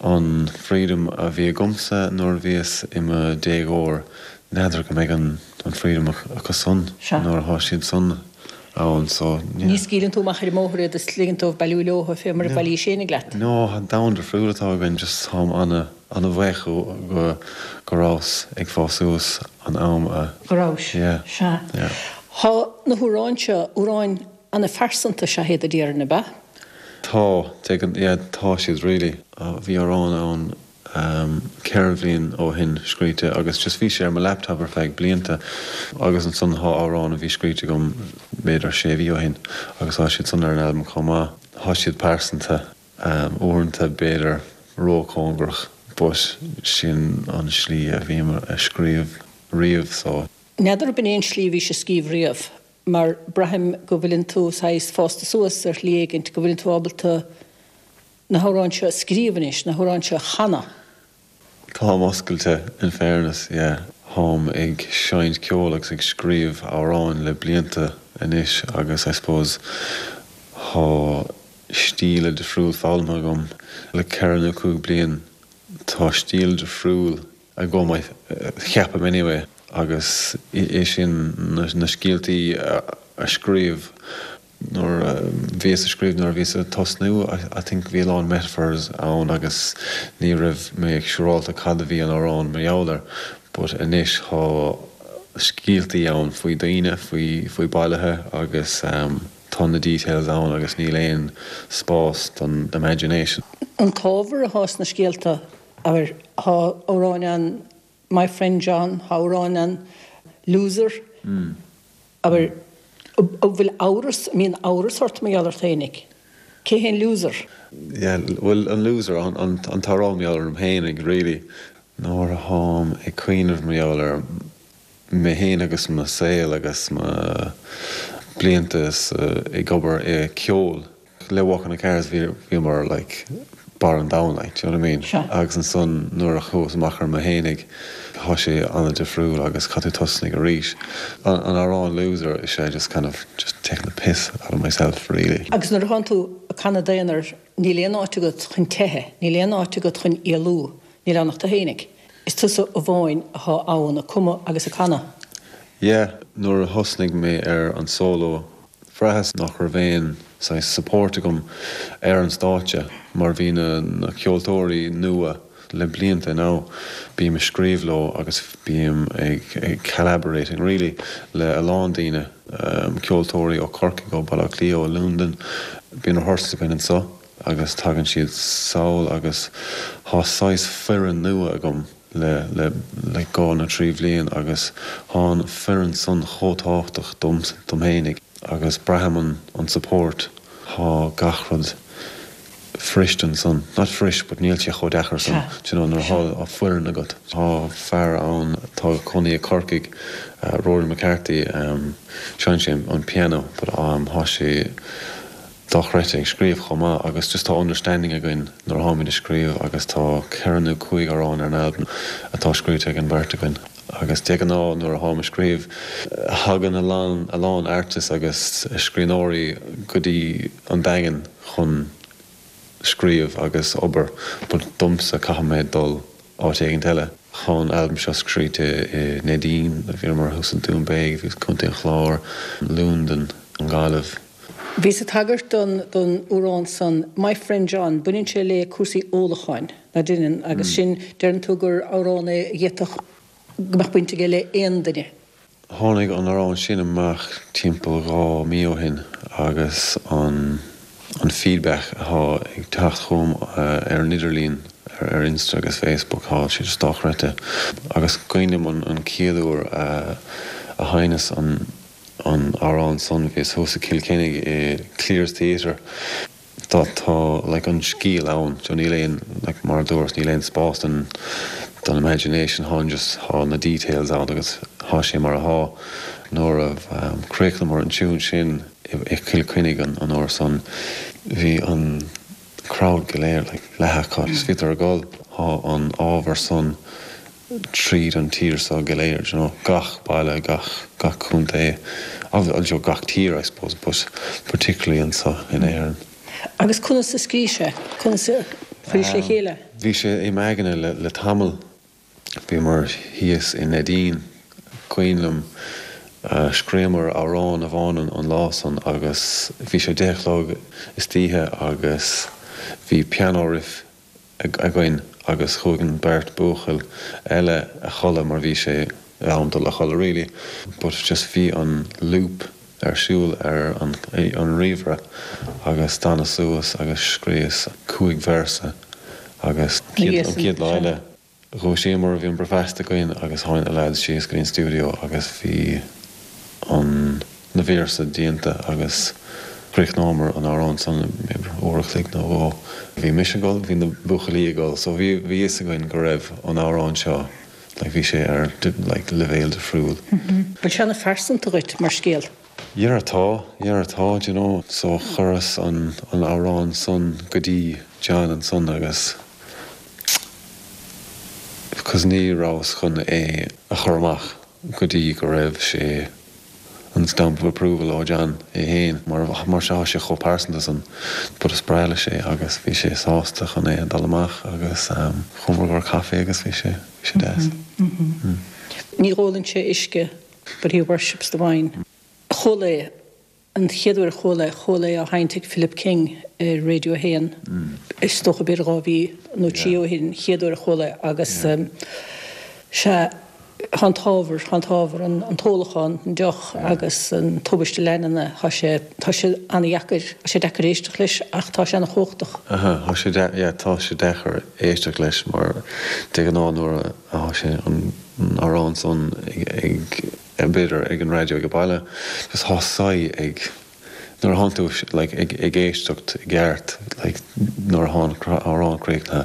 an freedom a bhí agamsa nuair a bhíos i mo déagóir, n'fheadar go mbeidh an, an freedom acu san nuair atá siad san ann so yeah. Ní scaoileann tú amach ar an mbóthar iad is ligeann dóibh bailiú leotha fé mar a bhailís fhéinig leat. No, domhan difriúil atá againn just táim ana. Ana-bhuíoch go go rabhas ag fás suas an am a. Go rabhais. Yeah. Sea. Yeah. Thá na hamhráin seo, amhráin ana-phearsanta is ea iad a déarfainn, ab ea? Tá, de, yeah, tá siad really. Bhí amhrán ann ceithre bhliain ó shin scríte agus just bhí sé ar mo laptop ar feadh blianta agus ansan thá amhrán a bhí scríte agam b'fhéidir sé mhí ó shin agus thá siad san ar an albam chomh maith. Thá siad pearsanta. Uaireanta b'fhéidir róchóngarach but sin an slí a bhím a scríobh riamh so. N'fheadar ab in é an slí a bhís a scríobh riamh mar braithim go bhfuileann tú saghas fásta suas ar shlí éigint, go bhfuileann tú ábalta na hamhráin seo a scríobh anois, na hamhráin seo a chanadh. Táim oscailte, in fairness, yeah. Táim ag seinnt ceoil agus ag scríobh amhráin le blianta anois agus I suppose thá stíle difriúil foghlamtha agam. Le ceithre nó cúig bliain tá stíl difriúil agam, I cheapaim anyway, agus é sin na scéaltaí a scríobh. Nuair a bhíos ag scríobh, nuair a bhíos ag tosnú, I think bhí a lán metaphors ann agus ní raibh mé siúrálta cad a bhí an amhrán mar gheall air but anois thá scéaltaí ann faoi daoine, faoi, faoi bailithe agus tá na details ann agus níl aon spás don imagination. An t-ábhar athá sna scéalta, abair, thá amhráin ann My Friend John, thá amhráin ann Loser, abair, an bhfuil amhras, an mbíonn amhras ort mar gheall ort fhéinig? Cé hé an loser? Yeah, bhuel, an loser, an t-amhrán mar gheall orm fhéinig, really. Nuair a tháim ag cuimhneamh mar gheall ar mé fhéin agus mo saol agus mo blianta ag obair i ceol, Le Walking on Cars bhí bhíomar like barr an domhain like, do you know what I mean? Sea. Agus ansan nuair a chuas amach ar mo fhéinig thá sé an-difriúil agus caithfidh tú tosnaigh arís. An an amhrán Loser is é just kind of just taking the piss out of myself really. Agus nuair a thánn tú ag canadh d'aonar níl aon áit agat chun teitheadh, níl aon áit agat chun éalú, níl ann ach tú fhéinig. Is tusa amháin athá ann ag cumadh agus ag canadh. Yeah, nuair a thosnaigh mé ar an solo Bhraitheas nach raibh aon saghas support agam ar an stáitse mar bhí na na ceoltóirí nua. le blianta now. Bím ag scríobh leo agus bím ag collaborating really le a lán daoine, ceoltóirí ó Corcaigh, ó Baile Átha Cliath, ó Londain. Bíonn rehearsals againn anseo agus tagann siad sall agus tá saghas foireann nua agam le le like 2 nó 3 bhliain agus thá an foireann san chomh tábhachtach dom dom fhéinig agus braithim an an support thá gach rud fuirist ansan, not fuirist but níl sé chomh deacair san, do you know, nuair athá foireann agat. Tá fear ann atá ag cónaí i Corcaigh, Rory McCarthy, seinneann sé an piano but thá sé dochreidte ag scríobh chomh maith agus just tá understanding againn nuair atháimid ag scríobh agus tá ceithre nó cúig amhrán ar an albam atá scríofa ag an bheirt againn agus de ghnáth nuair atháim ag scríobh thagann a lán a lán artists agus scríbhneoirí go dtí an Daingean chun scríobh agus obair but domsa caithfidh mé dul áit éigint eile. Thá an albam seo scríte i Neidín, bhíomar thuas i Dún Béag, bhíos Contae an Chláir, Londain, an Ghaillimh. Bhíos ag tagairt don don amhrán san, My Friend John, baineann sé le cúrsaí ólacháin, nach mbaineann, agus sin, deireann tú gur amhrán é a d'fhéadfadh go mbeadh baint aige le aon duine. Tháinig an amhrán sin amach timpeall 2 mí ó shin agus an an feedback athá ag teacht chugam ar an idirlíon, ar Insta agus Facebook, thá sé just dochreidte. Agus cuimhin liom an an chéad uair a a sheinneas an an amhrán san, bhíos thuas i Cill Chainnigh i Clears Theatre. Tá tá like an scéal ann so níl aon like mar a dúras níl aon spás don don imagination thá an just thá na details ann agus thá sé mar athá. Nuair a chríochnamar an tune sin i Cill Chainnigh an an uair san bhí an crowd go léir like leath acu just bhíodar ag gol. Thá an ábhar san tríd an tír seo go léir, do you know, gach baile, gach, gach contae, agus you know, gach tír I suppose, but particularly anseo in Éirinn. Agus conas a scríos é? Conas a chuiris le chéile? Bhí sé i m'aigne le, le tamall. Bhíomar thíos i Neidín, cuimhin liom, scríomar amhrán amháin an lá san agus bhí sé 10 a chlog istoíche agus bhí piano riff againn agus chuaigh an beirt buachaill eile a chodladh mar bhí sé am dul a chodladh really but just bhí an loop ar siúl ar an an ríomhaire agus d'fhanas suas agus scríos 5 véarsa agus an chéad lá eile Dhúisíomar, bhí an bricfeasta againn agus tháinig na lads síos go dtí an stiúideo agus bhí an na véarsa déanta agus chríochnómar an amhrán san b'fhéidir uair a chloig nó dhó. Bhí mise ag gol, bhí na buachaillí ag gol so bhí bhí fhios againn go raibh an amhrán seo like bhí sé ar like leibhéal difriúil. Bhfuil sé ana phearsanta dhuit mar scéal? Yeah tá, yeah tá, do you know, so chuireas an an amhrán san go dtí John ansan agus cos ní rabhas chun é a chur amach go dtí go raibh sé an stamp of approval ó John é fhéin mar mar tá sé chomh pearsanta san but is breá leis é agus bhí sé sásta chun é a dul amach agus chuamar go caife agus bhí sé bhí sé deas. Ní ólann sé uisce but he worships the wine. Chuala é, an chéad uair a chuala é, chuala é á sheinnt ag Philip King ar Radio 1, is dócha b'fhéidir 2 mhí nó 3 ó shin, chéad uair a chuala é agus sea, tá an t-ábhar, tá an t-ábhar, an t-ólachán, an deoch agus an tubaiste leanúna, tá sé, tá sé an-dheacair, tá sé deacair éisteacht leis ach tá sé an-chumhachtach. Aha, tá sé, yeah, tá sé deacair éisteacht leis mar de ghnáth nuair a tá sé an amhrán san ag b'fhéidir ag an raidió ag baile just thá sigh ag nuair a thánn tú like ag ag éisteacht i gceart like nuair a thá an amhrán críochnaithe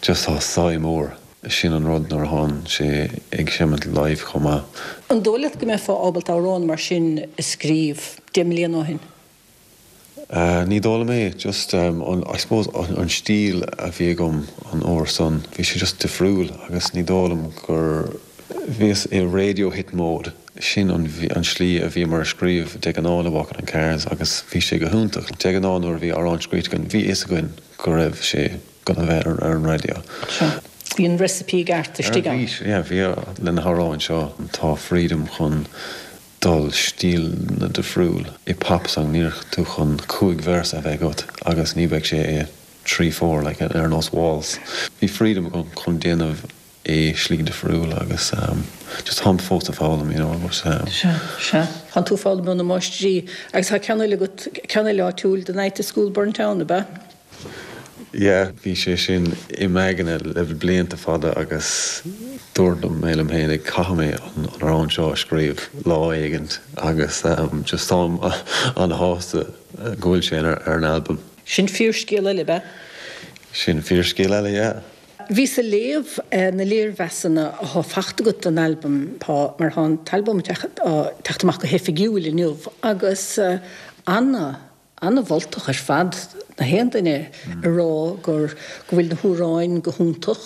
just thá sigh mór sin an rud nuair a thánn sé ag seimint live chomh maith. An dóigh leat go mbeifeá ábalta amhrán mar sin a scríobh 10 mbliana ó shin? Ní dóigh liom é, just an, I suppose an stíl a bhí agam an uair san, bhí sé just difriúil agus ní dóigh liom gur, bhíos i radio hit mode, sin an an slí a bhíomar a scríobh de ghnáth le Walking on Cars agus bhí sé go hiontach. De ghnáth nuair a bhí amhrán scríte againn, bhí fhios againn go raibh sé gonna bheith ar an raidió. Sea, bhí an recipe i gceart istigh ann. Bhí, yeah, bhí le na hamhráin seo, tá freedom chun dul stíleanna difriúil. I pop song níl tú chun 5 véarsa a bheith agat agus ní bheidh sé i. 3, 4 like ar nós waltz. Bhí freedom agam chun déanamh é slí difriúil agus just táim fós ag foghlaim you know but. Sea, sea. Tánn tú ag foghlaim ó na máistrí agus tá ceann eile agat, ceann eile áitiúil, The Night the School Burnt Down, ab ea? Yeah, bhí sé sin i m'aigne le blianta fada agus dúirt mé liom féin caithfidh mé an amhrán seo a scríobh lá éigint agus just táim an-shásta go bhfuil sé ar an albam. Sin fíorscéal eile, ab ea? Sin fíorscéal eile, yeah. Bhíos ag léamh na léirmheasanna athá fachta agat don albam, Pá, mar thá an t-albam ag teacht amach go hoifigiúil inniu agus ana, ana-mholtach ar fad, na haon duine ag rá gur, go bhfuil na hamhráin go hiontach,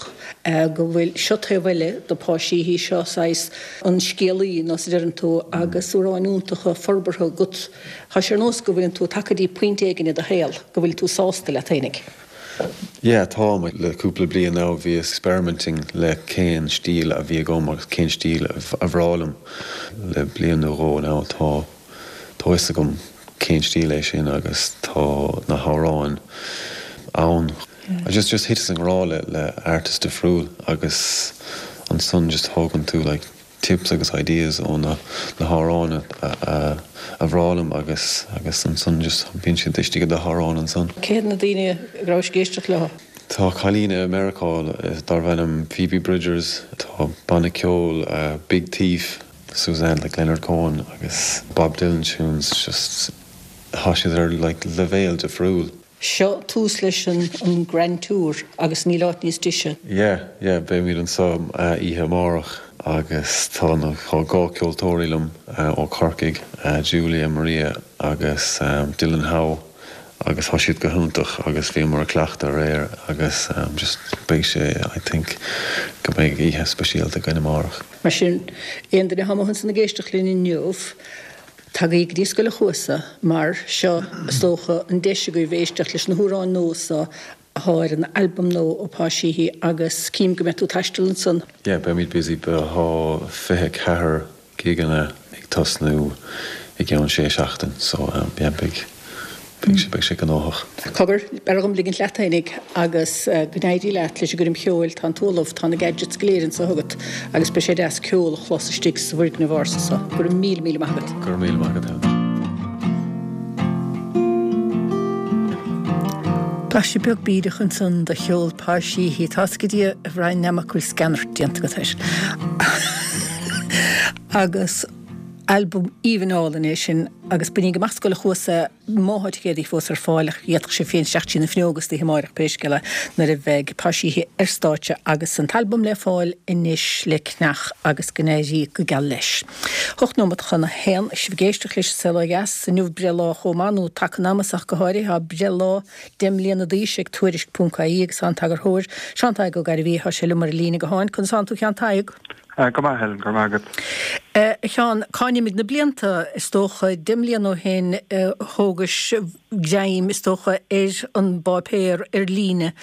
go bhfuil, seo taobh eile de Pá Sheehy, seo saghas an scéalaí, nós a deireann tú, agus amhráin iontacha forbartha agat. Tá sé ar nós go bhfuileann tú tagtha dtí pointe éigin i do shaol go bhfuil tú sásta leat fhéinig. Yeah, táim. Le cúpla bliain now bhíos experimenting le cén stíl a bhí agam agus cén stíl a bhreá liom. Le bliain nó dhó now tá tá fhios agam cén stíl é sin agus tá na hamhráin ann. I just just thiteas i ngrá le le artist difriúil agus ansan just thógann tú like tips agus ideas ó na na hamhráin a bhreá liom agus agus ansan just bíonn siad istigh i do hamhrán ansan. Cé hiad na daoine a rabhais ag éisteacht leo? Tá cailín i Meiriceá darbh ainm Phoebe Bridgers, tá banna ceoil Big Thief, Suzanne like Leonard Cohen agus Bob Dylan tunes just tá siad ar like leibhéal difriúil. Seo tús leis an Grand Tour agus níl áit níos deise. Yeah, yeah, beimid anseo oíche amárach agus tá na, tá 2 ceoltóirí liom ó Corcaigh, Julia Maria agus Dylan Howe agus tá siad go hiontach agus bhíomar ag cleachtadh aréir agus just beidh sé, I think go mbeidh oíche speisialta againn amárach. Mar sin, aon duine atá amuigh ansan ag éisteacht linn inniu, Tagaigí go dtí Scoil an Chuasa mar seo is dócha an deis agaibh éisteacht leis na hamhráin nua so athá ar an albam nua ó Pa Sheehy agus cím go mbeidh tú ag taisteal ansan. Yeah, beimid busy, tá 24 gigeanna ag tosnú i gceann sé seachtain so yeah beidh Beidh sé, beidh sé gnóthach. Cogar, b'fhearr dhom ligint leat fhéinig agus go n-éirí leat leis an gcoirm cheoil. Tá an t-uallamh, tá na gadgets go léir anso agat agus beidh sé deas ceol a chlos istigh sa bhfoirgneamh ársa so. Go raibh míle, míle maith agat. Go raibh míle maith agat, Helen. Blaiseadh beag bídeach ansan de cheol Pa Sheehy. Tá's ag Dia, a Bhrian Nammock, go bhfuil sceanairt déanta agat air. Agus. Albam aoibhinn álainn é sin agus bainíg amach Scoil an Chuasa má thá ticéadaí fós ar fáil ach d'fhéadfadh sibh féin isteach trí na fuinneoga istoíche amáireach pé scéal é nuair a bheidh Pa Sheehy ar stáitse agus an t-albam le fáil anois le ceannach agus go n-éirí go geal leis. 8 nóimeat chun a haon, sibh ag éisteacht leis an Saol Ó Dheas inniu breithlá chomh maith nó taca an ama ach go háirithe tá breithlá 10 mbliana d'aois ag Tuairisc ponc ie agus tá an t-eagarthóir Seán Tadhg Ó Gairbhí tá sé liom ar an líne gutháin. Conas tánn tú a Sheáin Tadhg? Go maith, Helen, go raibh maith agat. A Sheáin, cá n-imigh na blianta? Is dócha, 10 mbliana ó shin thógais greim, is dócha, ar an bpáipéar ar líne.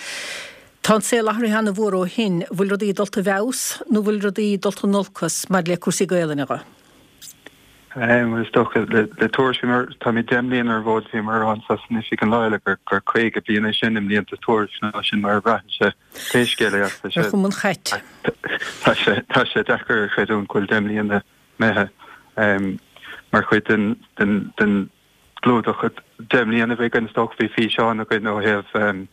Tá an saol athraithe ana-mhór ó shin. Bhfuil rudaí dulta i bhfeabhas nó bhfuil rudaí dulta in olcas maidir le cúrsaí Gaelainne dhe? Bhuel, is dócha, le Tuairisc, bhíomar, táimid 10 mbliana ar an bhfód, bhíomar ag rá anso san oifig an lá eile gur 50 bliain é sin i mblianta Tuairisc, nó sin mar a bhraitheann sé. Pé scéal é, tá sé. Ar chuma an chait. Tá sé, tá sé deacair a chreidiúint go bhfuil 10 mbliana imithe mar chuid den, den, den gclúdach. 10 mbliana a bhí againn, is dócha, bhí físeán againn ó thaobh,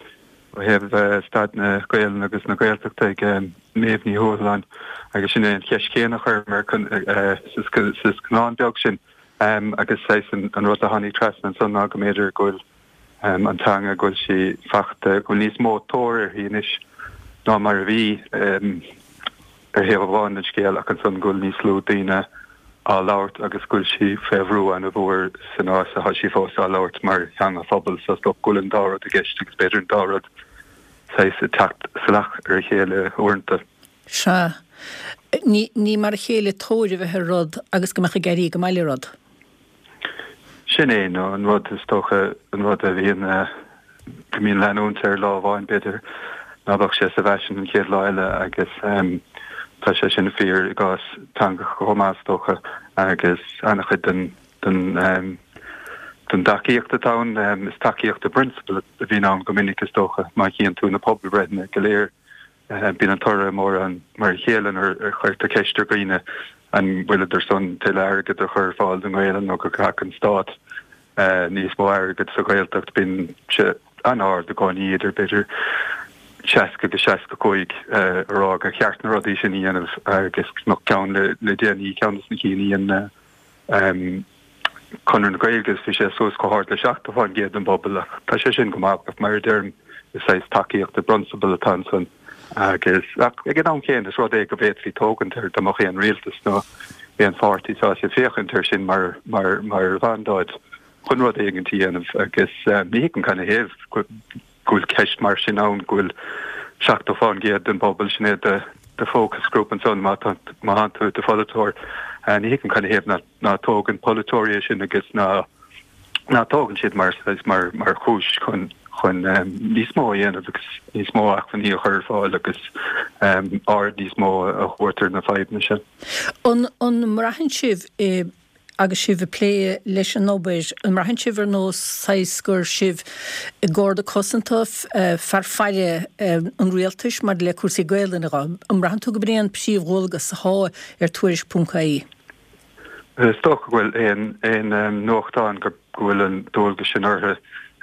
ó thaobh staid na Gaelainne agus na Gaeltachta ag Méabh Ní Thuathaláin agus sin é an cheist chéanna a chuireamar sa scannán beag sin agus saghas an rud a tháinig trasna ansan ná go mb'fhéidir go bhfuil an teanga, go bhfuil sí fachta, go bhfuil níos mó tóir uirthi anois ná mar a bhí ar thaobh amháin den scéal ach ansan go bhfuil níos lú daoine á labhairt agus go bhfuil sí fé bhrú ana-mhór san áit atá sí fós á labhairt mar theanga phobail. So is dócha go bhfuil an dá rud i gceist agus b'fhéidir an dá rud saghas ag teacht salach ar a chéile uaireanta. Sea. Ní, ní mar a chéile tóir a bheith ar rud agus go mbeadh ag éirí go maith le rud. Sin é, nó an rud, is dócha, an rud a bhíonn, go mbíonn leanúint air lá amháin, b'fhéidir, ná beadh sé sa bhfaisean an chéad lá eile agus tá sé sin fíor i gcás teangacha chomh maith, is dócha, agus an-chuid den, den. Den dtacaíocht atá ann, is tacaíocht i bprionsabal a bhíonn ann go minic is dócha, má chíonn tú na pobalbhreitheanna go léir, bíonn an toradh mórán mar a chéile nuair a chuirtear ceist ar dhaoine an bhfuilid ar son tuilleadh airgid a chur ar fáil don Ghaelainn nó go gcaithfeadh an stát níos mó airgid sa Ghaeltacht. Bíonn sé an-ard i gcónaí, idir b'fhéidir 60-65 a rá gur cheart na rudaí sin a dhéanamh agus ceann le déanaí, ceann de na cinn a dhein Conradh na Gaeilge is bhí sé suas chomh hard le 70% den bpobal ach tá sé sin go maith ach mar a deirim is saghas tacaíocht i bprionsabal atá ansan agus ach ag an am chéanna is rud é go bhféadfaí tógaint air dá mbeadh aon rialtas nó aon pháirtí sásta féachaint air sin mar mar mar mhandáid chun rud éigint a dhéanamh agus ní thuigim canathaobh go go bhfuil ceist mar sin ann, go bhfuil 70% den bpobal, sin é do focus group ansan má tá tú i do pholaiteoir. Ní thuigim canathaobh ná tógann polaiteoirí é sin agus ná ná tógann siad mar mar mar chúis chun chun níos mó a dhéanamh agus níos mó acmhainní a chur ar fáil agus aird níos mó a thabhairt ar na fadhbanna sin. An an mbraitheann sibh i Agus sibh ag plé leis an obair, an mbraitheann sibh ar nós saghas gur sibh garda cosanta, fear faire an rialtais maidir le cúrsaí Gaelainne dhe? An mbraitheann tú go b'in é an príomhdhualgas athá ar Tuairisc ponc ie? Is dócha go bhfuil aon aon nuachtán go bhfuil an dualgas sin orthu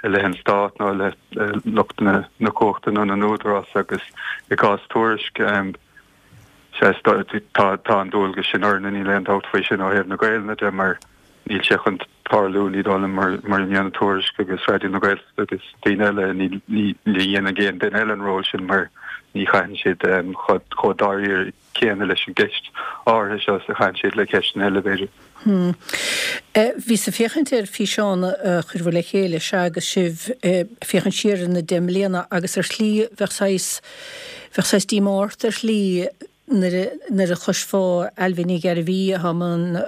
i leith an Stát nó i leith lucht na cumhachta nó na n-údarás agus i gcás Tuairisc, Sea, tá an dualgas sin orainne, níl aon dabht faoi sin ó thaobh na Gaelainne de mar níl sé chun tarlú, ní dóigh liom, mura ndéanann Tuairisc agus Raidió na Gaeltachta agus daoine eile, ní dhéanfaidh aon duine eile an ról sin mar ní chaitheann siad chomh dáiríre céanna leis an gceist áirithe seo is a chaitheann siad le ceisteanna eile, b'fhéidir. Bhíos ag féachaint ar físeán a chuireabhair le chéile, sea, agus sibh ag féachaint siar ar na deich mbliana agus ar shlí bheadh saghas, bheadh saghas díomá ort ar shlí nuair a, nuair a chloisfeá Ailbhe Ní Ghairbhí atá i mbun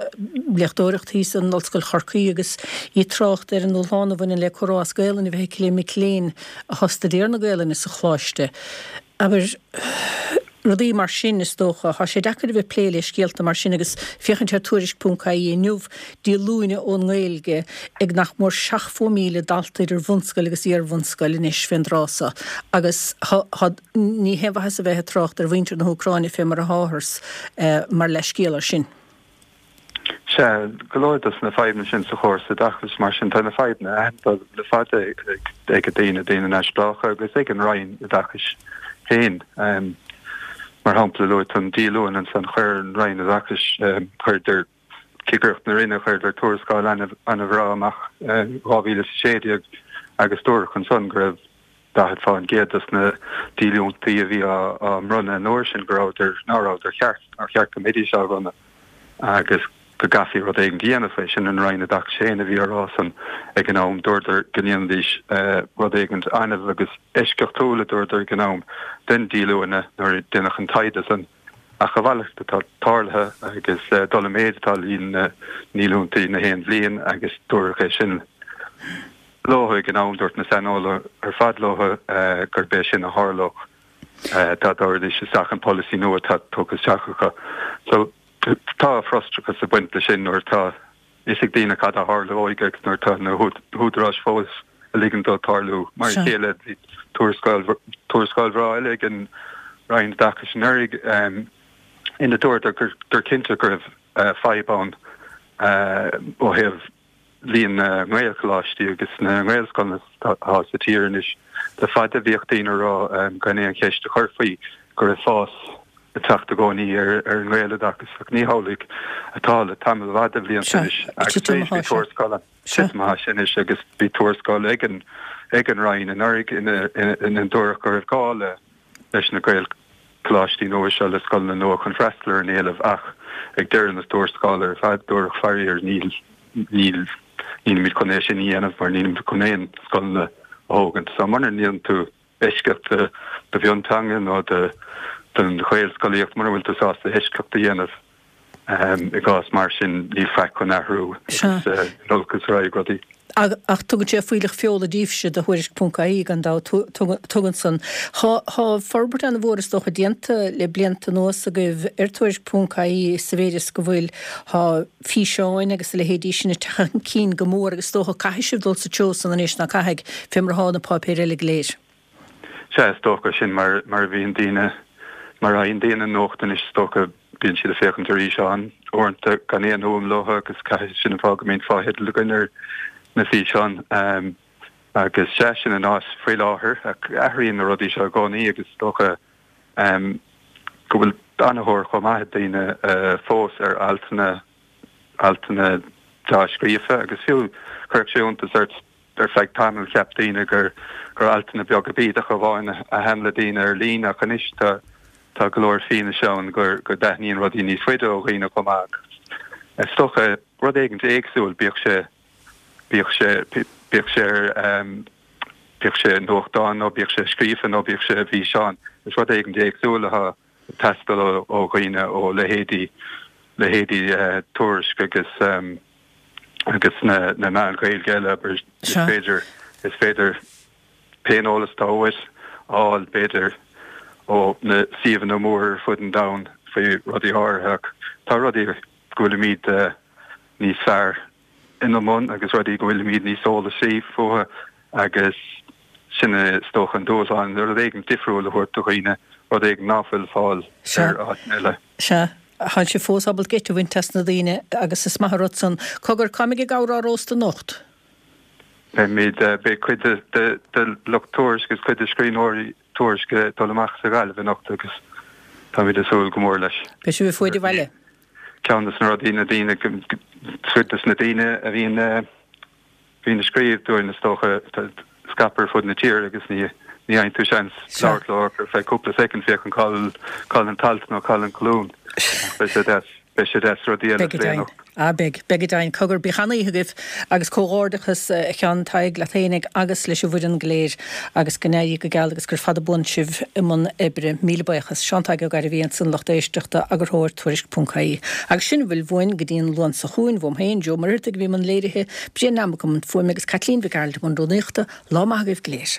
léachtóireacht thíos in Ollscoil Chorcaí agus í ag trácht ar an ndúshlán a bhaineann le comhrá as Gaelainn a bheith aici le mic léinn atá ag staidéar na Gaelainne sa choláiste. Abair, rudaí mar sin, is dócha. Tá sé deacair a bheith ag plé le scéalta mar sin agus féachaint ar Tuairisc ponc ie inniu, díolúine ón nGaeilge ag nach mór 70,000 dalta idir bhunscoil agus iar-bhunscoil anois fén dtráth so agus tá, ní haon mhaitheas a bheith ag trácht ar mhuintir na hÚcráine fé mar atáthar mar leathscéal air sin. Sea, go leor dos na fadhbanna sin sa chóras oideachais, mar sin tá na fadhbanna aitheanta le fada ag daoine, daoine neamhspleácha agus ag an Roinn Oideachais féin. Mar shampla, luaigh tú an díolúine ansan, chuir an Roinn Oideachais, chuireadar, Cigireacht na Roinne, chuireadar tuarascáil an-bhreá amach in 2016 agus dúradh ansan go raibh 40% dos na díolúintí a bhí á mbronnadh an uair sin go rabhadar, ná rabhadar ceart, nár cheart go mbeidís á bhronnadh agus go gcaithfí rud éigin a dhéanamh faoi. Sin an Roinn Oideachais féin a bhí á rá san ag an am. Dúradar go ndéanfaidís rud éigin annamh agus eisceachtúil, a dúradar ag an am, den díolúine nuair a deineadh an taighde san. Ach a mhalairt atá tarlaithe agus dul i méid atá líon na ndíolúintí na haon bhliain agus dúradh é sin. Leo ag an am, dúirt na saineolaithe ar fad leo gurb é sin a tharlódh dá dtabharfaidís isteach an polasaí nua atá tugtha isteach acu. So tá frustrachas ag baint leis sin nuair atá fhios ag daoine cad a tharlóidh agus nuair atá na húdaráis fós ag ligean dó tarlú. Mar a chéile, bhí tuarascáil, tuarascáil bhreá eile ag an Roinn Oideachais anuraidh ina dúradar gur cinnte go raibh fadhb ann ó thaobh líon na nGaelcholáistí agus na nGaelscoileanna atá sa tír anois. Le fada bhíodh daoine ag rá, gan aon cheist a chur faoi, go raibh fás ag teacht i gcónaí ar an nGaeloideachas ach ní hamhlaidh atá le tamall fada bhlianta anois agus arís bhí tuarascáil ann. Titim atá sé anois agus bhí tuarascáil ag an ag an Roinn anuraidh ina ndúradh go raibh gá le leis na Gaelcholáistí nua seo, le scoileanna nua chun freastal ar an éileamh ach ag deireadh na tuarascála ar fad dúradh faraor níl, níl, nílimid chun é sin a dhéanamh mar nílimid chun aon scoileanna a thógaint. So mura ndéanann tú eisceacht do do mhionteanga nó do don Ghaelscolaíocht, mura bhfuil tú sásta eisceacht a dhéanamh i gcás mar sin níl faic chun athrú agus in olcas a raghaidh rudaí. Ach tugann sé fuílleach feola daoibhse do Thuairisc ponc ie gan dabht, tugann san. Tá forbairt an-mhór is dócha déanta le blianta anuas agaibh ar Tuairisc ponc ie sa mhéid is go bhfuil, tá físeáin agus a leithéidí sin ag teacht chun cinn go mór agus is dócha caithfidh sibh dul sa treo san anois, ná caithfidh, fé mar atá na páipéir eile go léir. Sea, is dócha, sin mar a bhíonn daoine, mar a fhaigheann daoine nuacht anois, is dócha, bíonn siad ag féachaint ar fhíseáin uaireanta gan aon fhuaim leo agus caithfidh, sin an fáth go mbíonn fotheidil againn ar na físeáin. Agus sea, sin an áit faoi láthair, ach athraíonn na rudaí seo i gcónaí agus is dócha go bhfuil an-thóir chomh maith ag daoine fós ar altanna, altanna dea-scríofa agus fiú chuirfeadh sé iontas ort, Ar feadh tamaill cheap daoine gur gur altanna beaga bídeacha amháin a thaitin le daoine ar líne ach anois tá tá go leor fianaise ann gur go dtaitníonn rudaí níos faide ó dhaoine chomh maith agus is dócha rud éigin éagsúil bíodh sé bíodh sé bíodh sé ar bíodh sé i nuachtán nó bíodh sé scríofa nó bíodh sé i bhfíseán is rud éigin éagsúil atá ag teastáil ó dhaoine ó leithéidí leithéidí Tuairisc agus agus na na meáin Ghaeilge eile abair is féidir is féidir pé eolas atá uait a fháil b'fhéidir ó na suíomhanna móra ar fud an domhain faoi rudaí áirithe ach tá rudaí go bhfuilimid níos fearr ina mbun agus rudaí go bhfuilimid níos eolasaí fúthu agus sin is dócha an dúshlán, rud éigin difriúil a thabhairt do dhaoine, rud éigin ná fuil fáil ar áiteanna eile. Sea. Tá sibh fós ábalta geit a bhaint as na daoine agus is maith an rud san. Cogar, cá mbeidh an gabhar á róstadh anocht? Beimid, beidh cuid de lucht Tuairisc agus cuid de scríbhneoirí Tuairisc ag dul amach sa Ghaillimh anocht agus táimid ag súil go mór leis. Beidh sibh ag fuaid an bhaile? Ceann de na rudaí, na daoine, cuid de na daoine a bhíonn, bhíonn ag scríobh dúinn is dócha, scaipthe ar fud na tíre agus ní ní fhaigheann tú seans labhairt leo ach ar feadh cúpla soicind féachaint cá bhfuil cá bhfuil an t-alt nó cá bhfuil an colún. Ach beidh sé deas, beidh sé deas rudaí eile a Beidh go phlé deimhin. anocht. Ah beidh, beidh go deimhin. Cogar, bíodh an-oíche agaibh agus comhghairdeachas a Sheáin Thaidhg leat fhéinig agus leis an bhfoireann go léir agus go n-éirí go geal agus gur fada buan sibh i mbun oibre. Míle buíochas. Seán Tadhg Ó Gairbhí ansan lucht éisteachta, eagarthóir Tuairisc ponc ie. Agus sin a bhfuil uainn go dtí an Luan seo chugainn, uaim féin, Joe Muircheartaigh a bhí i mbun léirithe, Brian Lamb i mbun fuaime agus Caitlín Mhic Gearailt i mbun rúnaíochta. Lá maith agaibh go léir.